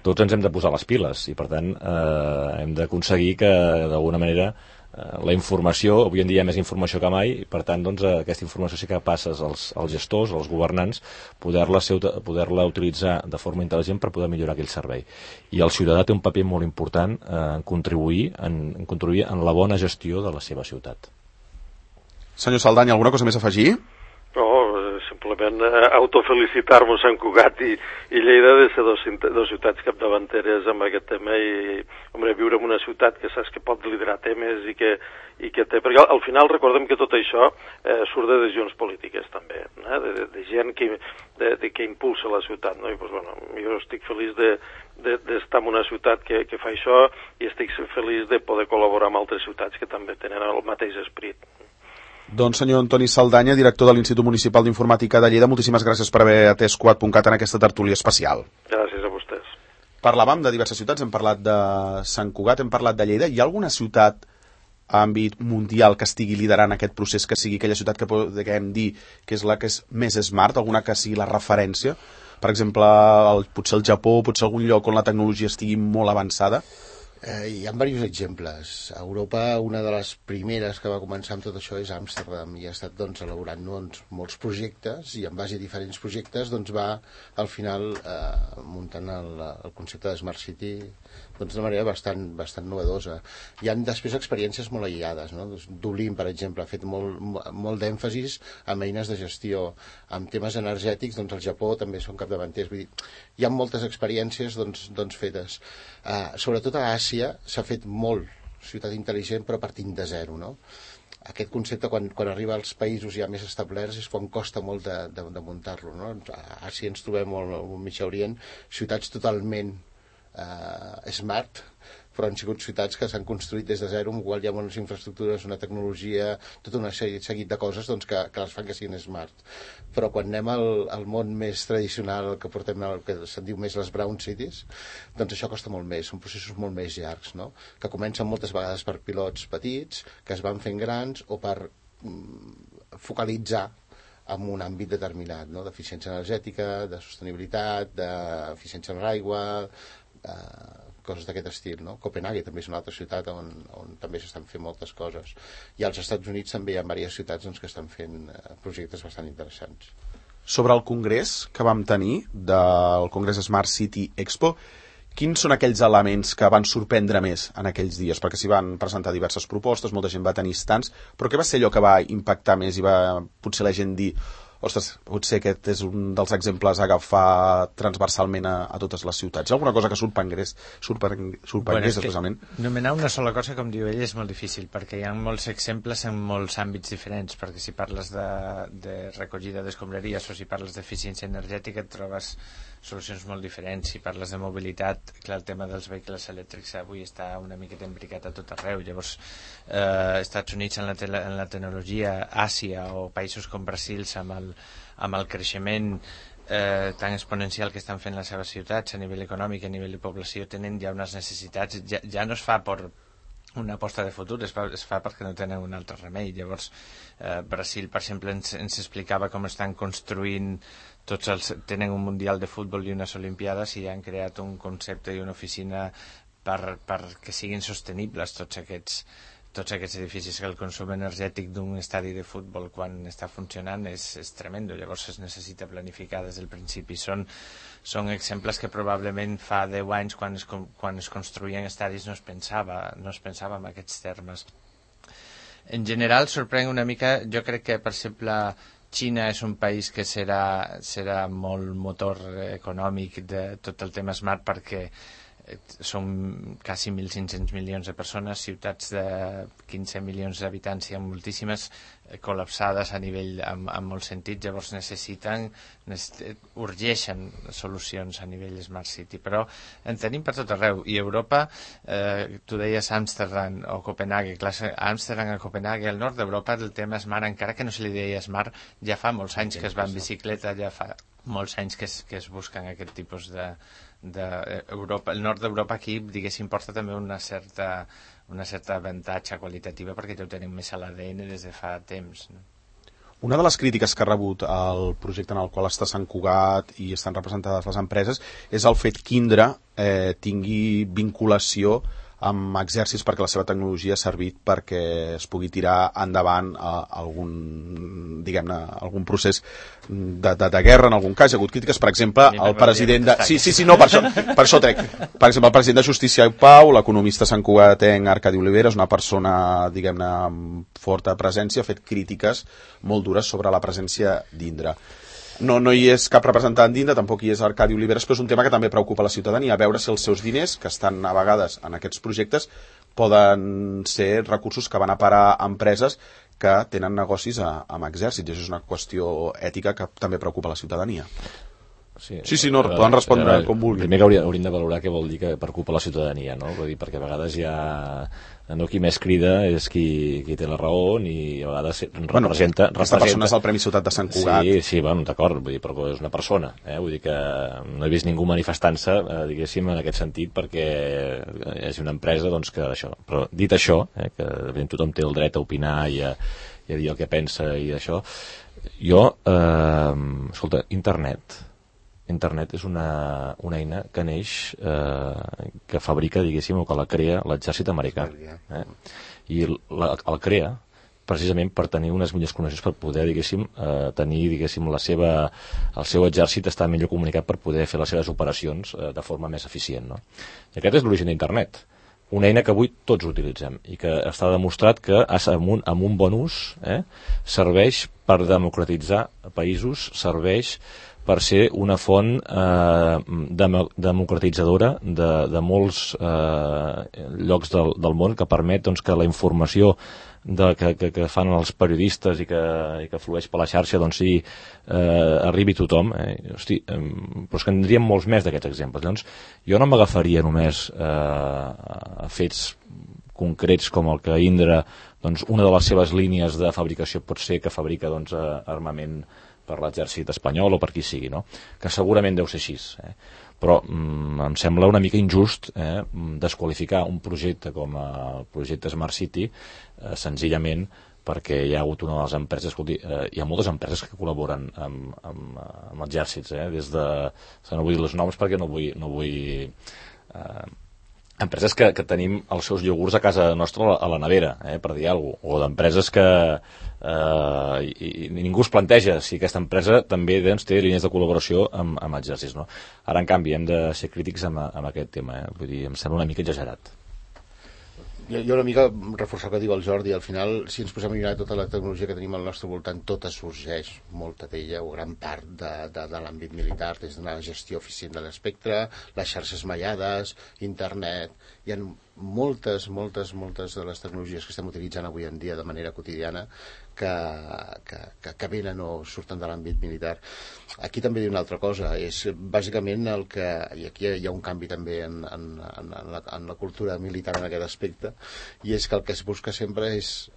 tots ens hem de posar les piles i per tant hem d'aconseguir que d'alguna manera la informació, avui en dia hi ha més informació que mai, i per tant doncs, aquesta informació sí que passes als gestors, als governants, poder-la utilitzar de forma intel·ligent per poder millorar aquell servei. I el ciutadà té un paper molt important en contribuir en la bona gestió de la seva ciutat. Senyor Saldanya, alguna cosa més a afegir? No, simplement autofelicitar-nos Sant Cugat i Lleida de ser dos ciutats capdavanteres amb aquest tema i, viure en una ciutat que saps que pot liderar temes i que té... Perquè al final recordem que tot això surt de decisions polítiques també, de gent que impulsa la ciutat, no? I doncs, bueno, jo estic feliç d'estar en una ciutat que fa això i estic feliç de poder col·laborar amb altres ciutats que també tenen el mateix esperit. Doncs senyor Antoni Saldanya, director de l'Institut Municipal d'Informàtica de Lleida, moltíssimes gràcies per haver atès Cugat.cat en aquesta tertúlia especial. Gràcies a vostès. Parlàvem de diverses ciutats, hem parlat de Sant Cugat, hem parlat de Lleida. Hi ha alguna ciutat a àmbit mundial que estigui liderant aquest procés, que sigui aquella ciutat que podem dir que és la que és més smart, alguna que sigui la referència? Per exemple, potser el Japó, potser algun lloc on la tecnologia estigui molt avançada? Hi ha diversos exemples. A Europa, una de les primeres que va començar amb tot això és Amsterdam, i ha estat doncs, elaborant molts projectes, i en base a diferents projectes doncs, va al final muntant el concepte de Smart City d'una manera bastant novedosa. Hi ha després experiències molt aïllades, no? Dublín, per exemple, ha fet molt d'èmfasis amb eines de gestió. Amb temes energètics, doncs, el Japó també són capdavanters. Vull dir, hi ha moltes experiències fetes. Sobretot a Àsia s'ha fet molt ciutat intel·ligent però partint de zero, no? Aquest concepte quan arriba als països ja més establerts és quan costa molt de muntar-lo, no? A Àsia ens trobem al Mig Orient ciutats totalment smart, però han sigut ciutats que s'han construït des de zero, amb qual hi ha unes infraestructures, una tecnologia, tot un seguit de coses doncs, que les fan que siguin smart. Però quan anem al món més tradicional, que portem el que se'n diu més les brown cities, doncs això costa molt més, són processos molt més llargs, no? Que comencen moltes vegades per pilots petits, que es van fent grans, o per focalitzar en un àmbit determinat, no? D'eficiència energètica, de sostenibilitat, d'eficiència en l'aigua, coses d'aquest estil, no? Copenhague també és una altra ciutat on també s'estan fent moltes coses, i als Estats Units també hi ha diverses ciutats doncs, que estan fent projectes bastant interessants. Sobre el congrés que vam tenir del Congrés Smart City Expo, quins són aquells elements que van sorprendre més en aquells dies? Perquè s'hi van presentar diverses propostes, molta gent va tenir stands, però què va ser allò que va impactar més i va potser la gent dir ostres, potser aquest és un dels exemples a agafar transversalment a totes les ciutats? Hi ha alguna cosa que sorprengués especialment? Nomenar una sola cosa, com diu ell, és molt difícil, perquè hi ha molts exemples en molts àmbits diferents, perquè si parles de recollida d'escombraries o si parles d'eficiència energètica et trobes solucions molt diferents. Si parles de mobilitat, clar, el tema dels vehicles elèctrics avui està una miqueta imbricat a tot arreu. Llavors, Estats Units en la tecnologia, Àsia o països com Brasil amb el creixement tan exponencial que estan fent les seves ciutats a nivell econòmic, a nivell de població, tenen ja unes necessitats, ja no es fa per una aposta de futur, es fa perquè no tenen un altre remei. Llavors, Brasil, per exemple, ens explicava com estan construint tenen un mundial de futbol i unes olimpiades i han creat un concepte i una oficina per que siguin sostenibles tots aquests edificis, que el consum energètic d'un estadi de futbol quan està funcionant és tremendo. Llavors es necessita planificar des del principi. Són exemples que probablement fa 10 anys quan es construïen estadis no es pensava en aquests termes. En general sorprèn una mica, jo crec que per exemple Xina és un país que serà molt motor econòmic de tot el tema smart, perquè són quasi 1.500 milions de persones, ciutats de 15 milions d'habitants i amb moltíssimes col·lapsades a nivell en molts sentits. Llavors urgeixen solucions a nivell Smart City, però en tenim per tot arreu. I Europa, tu deies Amsterdam o Copenhague, clar, Amsterdam o Copenhague, al nord d'Europa el tema Smart, encara que no se li deia Smart, ja fa molts anys que es va en bicicleta, ja fa molts anys que es busquen aquest tipus d'Europa. El nord d'Europa aquí, diguéssim, porta també una certa avantatge qualitativa perquè ja ho tenim més a l'ADN des de fa temps, no? Una de les crítiques que ha rebut el projecte en el qual està Sant Cugat i estan representades les empreses és el fet que Indra tingui vinculació amb exèrcits, perquè la seva tecnologia ha servit perquè es pugui tirar endavant algun procés de guerra. En algun cas hi ha hagut crítiques, per exemple, el president de... per això trec. Per exemple, el president de Justícia i Pau, l'economista santcugatenc Arcadi Olivera, és una persona, diguem-ne, amb forta presència, ha fet crítiques molt dures sobre la presència d'Indra. No hi és cap representant d'Indra, tampoc hi és Arcadi Oliveres, però és un tema que també preocupa la ciutadania, a veure si els seus diners, que estan a vegades en aquests projectes, poden ser recursos que van a parar a empreses que tenen negocis amb exèrcits. Això és una qüestió ètica que també preocupa la ciutadania. Sí, poden respondre com vulguin. Primer que hauríem de valorar què vol dir que preocupa la ciutadania, no? Vull dir, perquè a vegades qui més crida és qui té la raó i a vegades representa... Aquesta persona és el Premi Ciutat de Sant Cugat. Sí, d'acord, vull dir, però és una persona, vull dir que no he vist ningú manifestant-se, diguéssim, en aquest sentit, perquè és una empresa, doncs, que això... Però dit això, que tothom té el dret a opinar i a dir el que pensa i això, jo, escolta, Internet és una eina que neix, que fabrica, diguéssim, o que la crea l'exèrcit americà. I el crea precisament per tenir unes millors connexions, per poder, diguéssim, tenir, diguéssim, el seu exèrcit està millor comunicat per poder fer les seves operacions de forma més eficient, no? I aquest és l'origen d'Internet. Una eina que avui tots utilitzem i que està demostrat que amb un bon ús serveix per democratitzar països, serveix per ser una font democratitzadora de molts llocs del món, que permet doncs, que la informació que fan els periodistes i que flueix per la xarxa doncs sí, arribi a tothom. Hosti, però és que en tindríem molts més d'aquests exemples. Llavors, jo no m'agafaria només a fets concrets com el que Indra, doncs, una de les seves línies de fabricació pot ser que fabrica doncs, armament per l'exèrcit espanyol o per qui sigui, no? Que segurament deu ser així, però em sembla una mica injust desqualificar un projecte com el projecte Smart City senzillament perquè hi ha hagut una de les empreses, escolti, hi ha moltes empreses que col·laboren amb exèrcits, des de, no vull dir els noms perquè no vull empreses que tenim els seus iogurts a casa nostra a la nevera, per dir alguna cosa, o d'empreses que i ningú es planteja si aquesta empresa també doncs, té línies de col·laboració amb exèrcits, no? Ara, en canvi, hem de ser crítics amb aquest tema, vull dir, em sembla una mica exagerat. Jo una mica reforçar el que diu el Jordi. Al final, si ens posem a mirar tota la tecnologia que tenim al nostre voltant, tota sorgeix, molta d'ella o gran part de l'àmbit militar, des d'una gestió eficient de l'espectre, les xarxes mallades, internet. Hi ha moltes de les tecnologies que estem utilitzant avui en dia de manera quotidiana que venen o surten de l'àmbit militar. Aquí també diu una altra cosa, és bàsicament el que, i aquí hi ha un canvi també en la cultura militar en aquest aspecte, i és que el que es busca sempre és,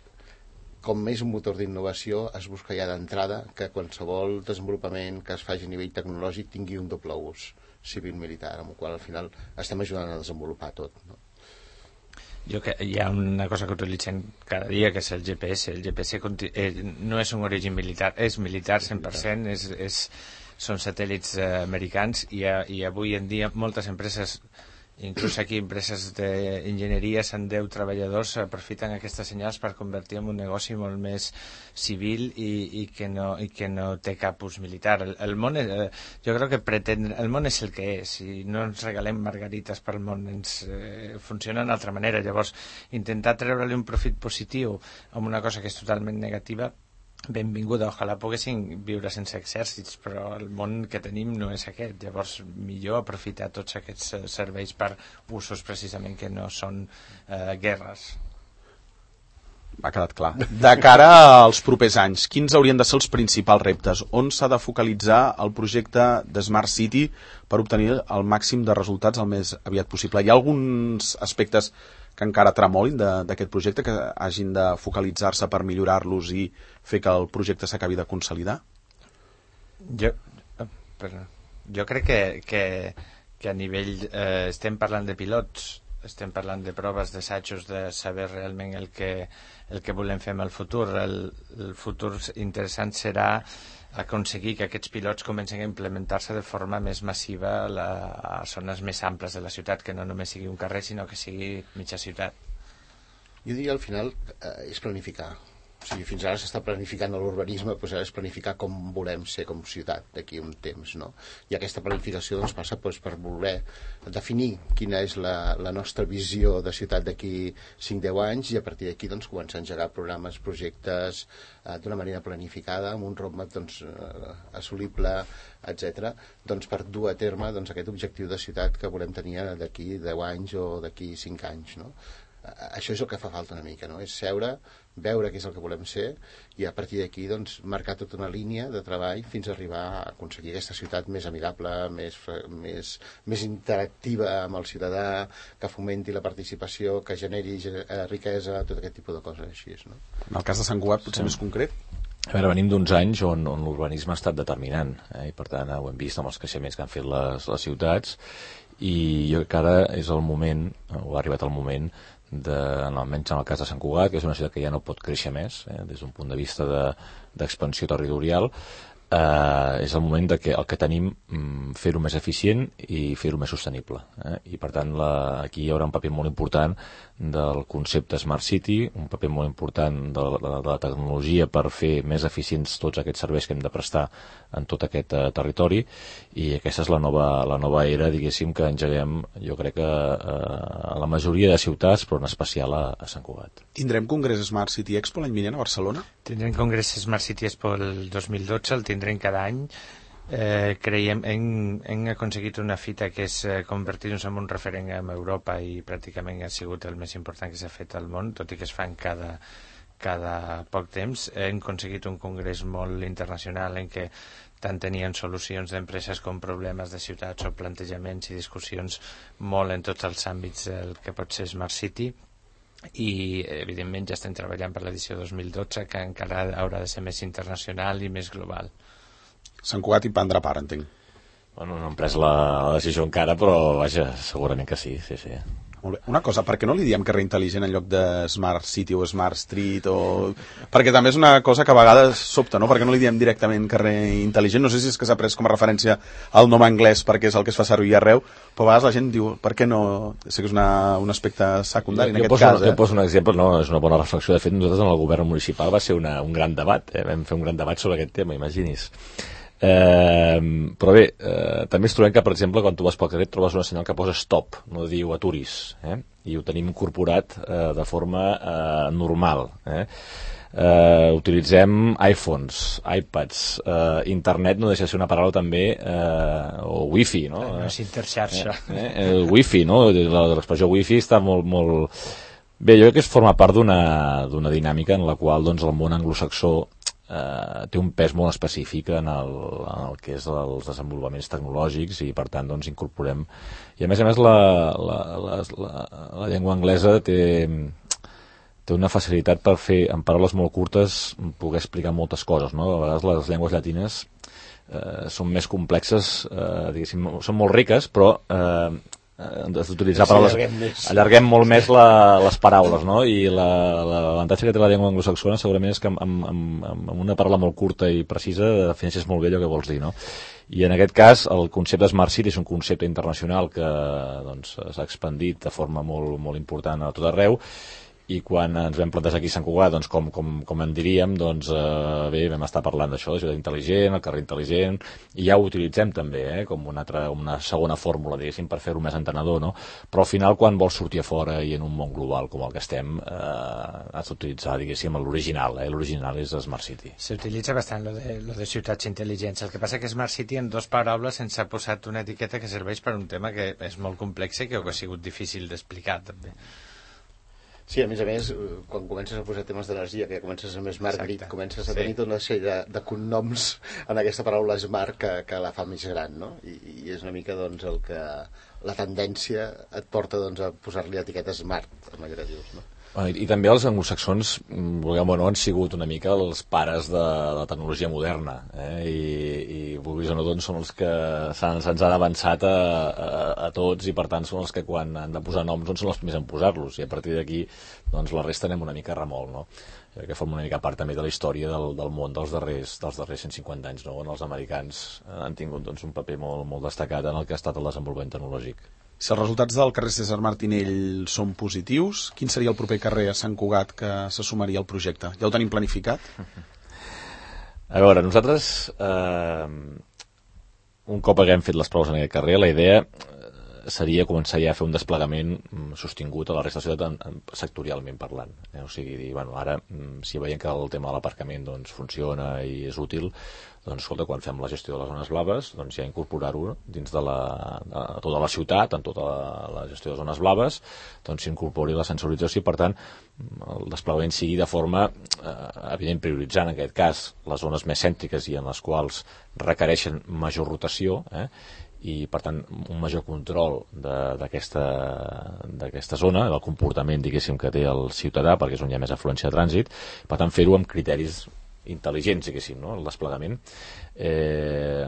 com més un motor d'innovació, es busca ja d'entrada que qualsevol desenvolupament que es faci a nivell tecnològic tingui un doble ús civil-militar, amb el qual al final estem ajudant a desenvolupar tot, no? Hi ha una cosa que utilitzem cada dia, que és el GPS. El GPS no és un origen militar, és militar 100%, són satèl·lits americans, i avui en dia moltes empreses, inclús aquí empreses d'enginyeria, 110 treballadors, aprofiten aquestes senyals per convertir en un negoci molt més civil i que no té cap ús militar. El món, jo crec que el món és el que és, i no ens regalem margarites pel món, funciona d'una altra manera. Llavors, intentar treure-li un profit positiu amb una cosa que és totalment negativa, benvinguda, ojalà poguessin viure sense exèrcits, però el món que tenim no és aquest. Llavors, millor aprofitar tots aquests serveis per usos precisament que no són guerres. Ha quedat clar. De cara als propers anys, quins haurien de ser els principals reptes? On s'ha de focalitzar el projecte de Smart City per obtenir el màxim de resultats el més aviat possible? Hi ha alguns aspectes que encara tremolin d'aquest projecte, que hagin de focalitzar-se per millorar-los i fer que el projecte s'acabi de consolidar? Jo crec que a nivell estem parlant de pilots, estem parlant de proves, d'assajos, de saber realment el que volem fer en el futur. El futur interessant serà aconseguir que aquests pilots comencin a implementar-se de forma més massiva a zones més amples de la ciutat, que no només sigui un carrer, sinó que sigui mitja ciutat. Jo diria al final és planificar. O sigui, fins ara s'està planificant l'urbanisme, doncs ara és planificar com volem ser com ciutat d'aquí un temps, no? I aquesta planificació doncs, passa per voler definir quina és la nostra visió de ciutat d'aquí 5-10 anys, i a partir d'aquí doncs, començar a engegar programes, projectes d'una manera planificada, amb un roadmap doncs, assolible, etc., doncs, per dur a terme doncs, aquest objectiu de ciutat que volem tenir d'aquí 10 anys o d'aquí 5 anys, no? Això és el que fa falta una mica, no? És seure, veure què és el que volem ser, i a partir d'aquí doncs, marcar tota una línia de treball fins a arribar a aconseguir aquesta ciutat més amigable, més interactiva amb el ciutadà, que fomenti la participació, que generi riquesa, tot aquest tipus de coses així, no? En el cas de Sant Cugat, potser més concret? A veure, venim d'uns anys on l'urbanisme ha estat determinant, i per tant ho hem vist amb els creixements que han fet les ciutats, i jo crec que ara és el moment, o ha arribat el moment, almenys en el cas de Sant Cugat, que és una ciutat que ja no pot créixer més, des d'un punt de vista d'expansió territorial, és el moment que el que tenim fer-ho més eficient i fer-ho més sostenible, i per tant aquí hi haurà un paper molt important del concepte Smart City, un paper molt important de la tecnologia per fer més eficients tots aquests serveis que hem de prestar en tot aquest territori, i aquesta és la nova era, diguéssim, que engeguem, jo crec que a la majoria de ciutats, però en especial a Sant Cugat. Tindrem Congrés Smart City Expo l'any vinent a Barcelona? Tindrem Congrés Smart City Expo el 2012, el tindrem cada any. Creiem, hem aconseguit una fita que és convertir-nos en un referent en Europa i pràcticament ha sigut el més important que s'ha fet al món, tot i que es fan cada poc temps. Hem aconseguit un congrés molt internacional en què tant tenien solucions d'empreses com problemes de ciutats o plantejaments i discussions molt en tots els àmbits del que pot ser Smart City, i evidentment ja estem treballant per l'edició 2012 que encara haurà de ser més internacional i més global. Sant Cugat hi prendrà part, entenc. Bueno, no hem pres la decisió encara, però vaja, segurament que sí. Molt bé. Una cosa, per què no li diem carrer intel·ligent en lloc de Smart City o Smart Street? Perquè també és una cosa que a vegades sobta, no? Per què no li diem directament carrer intel·ligent? No sé si és que s'ha pres com a referència al nom anglès perquè és el que es fa servir arreu, però a vegades la gent diu, per què no? Sé que és un aspecte secundari en aquest cas. Jo poso un exemple, no? És una bona reflexió. De fet, nosaltres en el govern municipal va ser un gran debat, vam fer un gran debat sobre aquest tema, imagini's. Però bé, també es trobem que, per exemple, quan tu vas pel carrer trobes una senyal que posa stop, no diu aturis, i ho tenim incorporat de forma normal. Utilitzem iPhones, iPads, internet no deixa de ser una paraula també, o wifi, no? No és interxarxa. El wifi, no? L'expressió wifi està molt... Bé, jo crec que es forma part d'una dinàmica en la qual doncs, el món anglosaxó té un pes molt específic en el que és els desenvolupaments tecnològics i per tant doncs incorporem i a més la llengua anglesa té una facilitat per fer en paraules molt curtes poder explicar moltes coses, no? A vegades les llengües llatines són més complexes, diguéssim, són molt riques però d'utilitzar paraules, allarguem molt més les paraules, no? I l'avantatge que té la llengua anglosaxona segurament és que amb una paraula molt curta i precisa defineixes molt bé allò que vols dir, no? I en aquest cas el concepte Smart City és un concepte internacional que doncs, s'ha expandit de forma molt, molt important a tot arreu i quan ens vam plantejar aquí a Sant Cugat, doncs, com en diríem, doncs, bé, vam estar parlant d'això, de ciutat intel·ligent, el carrer intel·ligent, i ja ho utilitzem també, com una segona fórmula, diguéssim, per fer-ho més entenedor, no? Però al final, quan vols sortir a fora i en un món global com el que estem, has d'utilitzar, diguéssim, l'original, l'original és Smart City. S'utilitza bastant lo de ciutats intel·ligents, el que passa que Smart City en 2 paraules ens ha posat una etiqueta que serveix per un tema que és molt complex i que ha sigut difícil d'explicar, també. Sí, a més, quan comences a posar temes d'energia, que comences a més Smart Grid, comences a tenir tota una sèrie de cognoms en aquesta paraula Smart que la fa més gran, no? I és una mica doncs, el que la tendència et porta doncs, a posar-li etiqueta Smart, amb allò que dius, no? I també els anglosaxons, vulguem o no, han sigut una mica els pares de la tecnologia moderna, i vulguis o no, doncs, són els que se'ns han avançat a tots i per tant són els que quan han de posar noms doncs, són els primers en posar-los i a partir d'aquí doncs, la resta anem una mica a remolc, no? Que forma una mica part també de la història del món dels darrers 150 anys, no? On els americans han tingut doncs, un paper molt, molt destacat en el que ha estat el desenvolupament tecnològic. Si els resultats del carrer César Martinell són positius, quin seria el proper carrer a Sant Cugat que se sumaria al projecte? Ja ho tenim planificat? A veure, nosaltres, un cop haguem fet les proves en aquest carrer, la idea seria començar ja a fer un desplegament sostingut a la resta de la ciutat sectorialment parlant. O sigui, dir, bueno, ara, si veiem que el tema de l'aparcament doncs, funciona i és útil, doncs, escolta, quan fem la gestió de les zones blaves, doncs ja incorporar-ho dins de tota la ciutat, en tota la gestió de zones blaves, doncs s'incorpori la sensorització i, per tant, el desplegament sigui de forma, evident, prioritzant, en aquest cas, les zones més cèntriques i en les quals requereixen major rotació, i per tant un major control d'aquesta zona, del comportament diguéssim que té el ciutadà perquè és on hi ha més afluència de trànsit, per tant fer-ho amb criteris intel·ligents diguéssim, no? El desplegament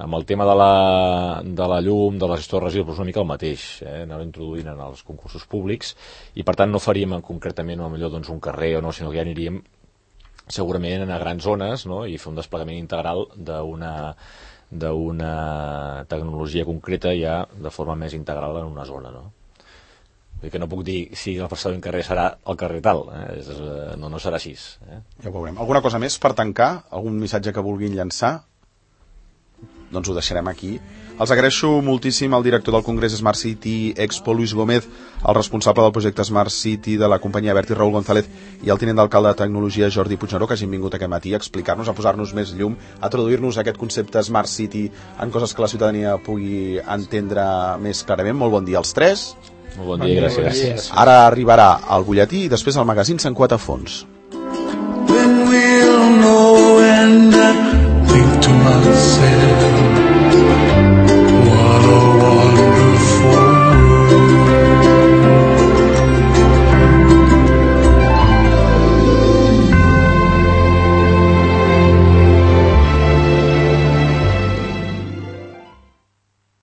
amb el tema de la llum, de la gestió de residus, una mica el mateix, anar introduint en els concursos públics i per tant no faríem concretament millor doncs, un carrer o no, sinó que ja aniríem segurament a grans zones, no? I fer un desplegament integral d'una tecnologia concreta ja de forma més integral en una zona, no? Vull dir que no puc dir si el següent carrer serà el carrer tal, no serà així. Ja ho veurem. Alguna cosa més per tancar? Algun missatge que vulguin llançar? Doncs ho deixarem aquí. Els agraeixo moltíssim al director del Congrés Smart City Expo, Luis Gómez, el responsable del projecte Smart City de la companyia Abertis, Raúl González, i el tinent d'alcalde de Tecnologia, Jordi Puigneró, que hagin vingut aquest matí a explicar-nos, a posar-nos més llum, a traduir-nos aquest concepte Smart City en coses que la ciutadania pugui entendre més clarament. Molt bon dia als tres. Molt bon dia, gràcies. Ara arribarà el butlletí i després el magazín Sant Cuat a fons. Then we'll know and think to us.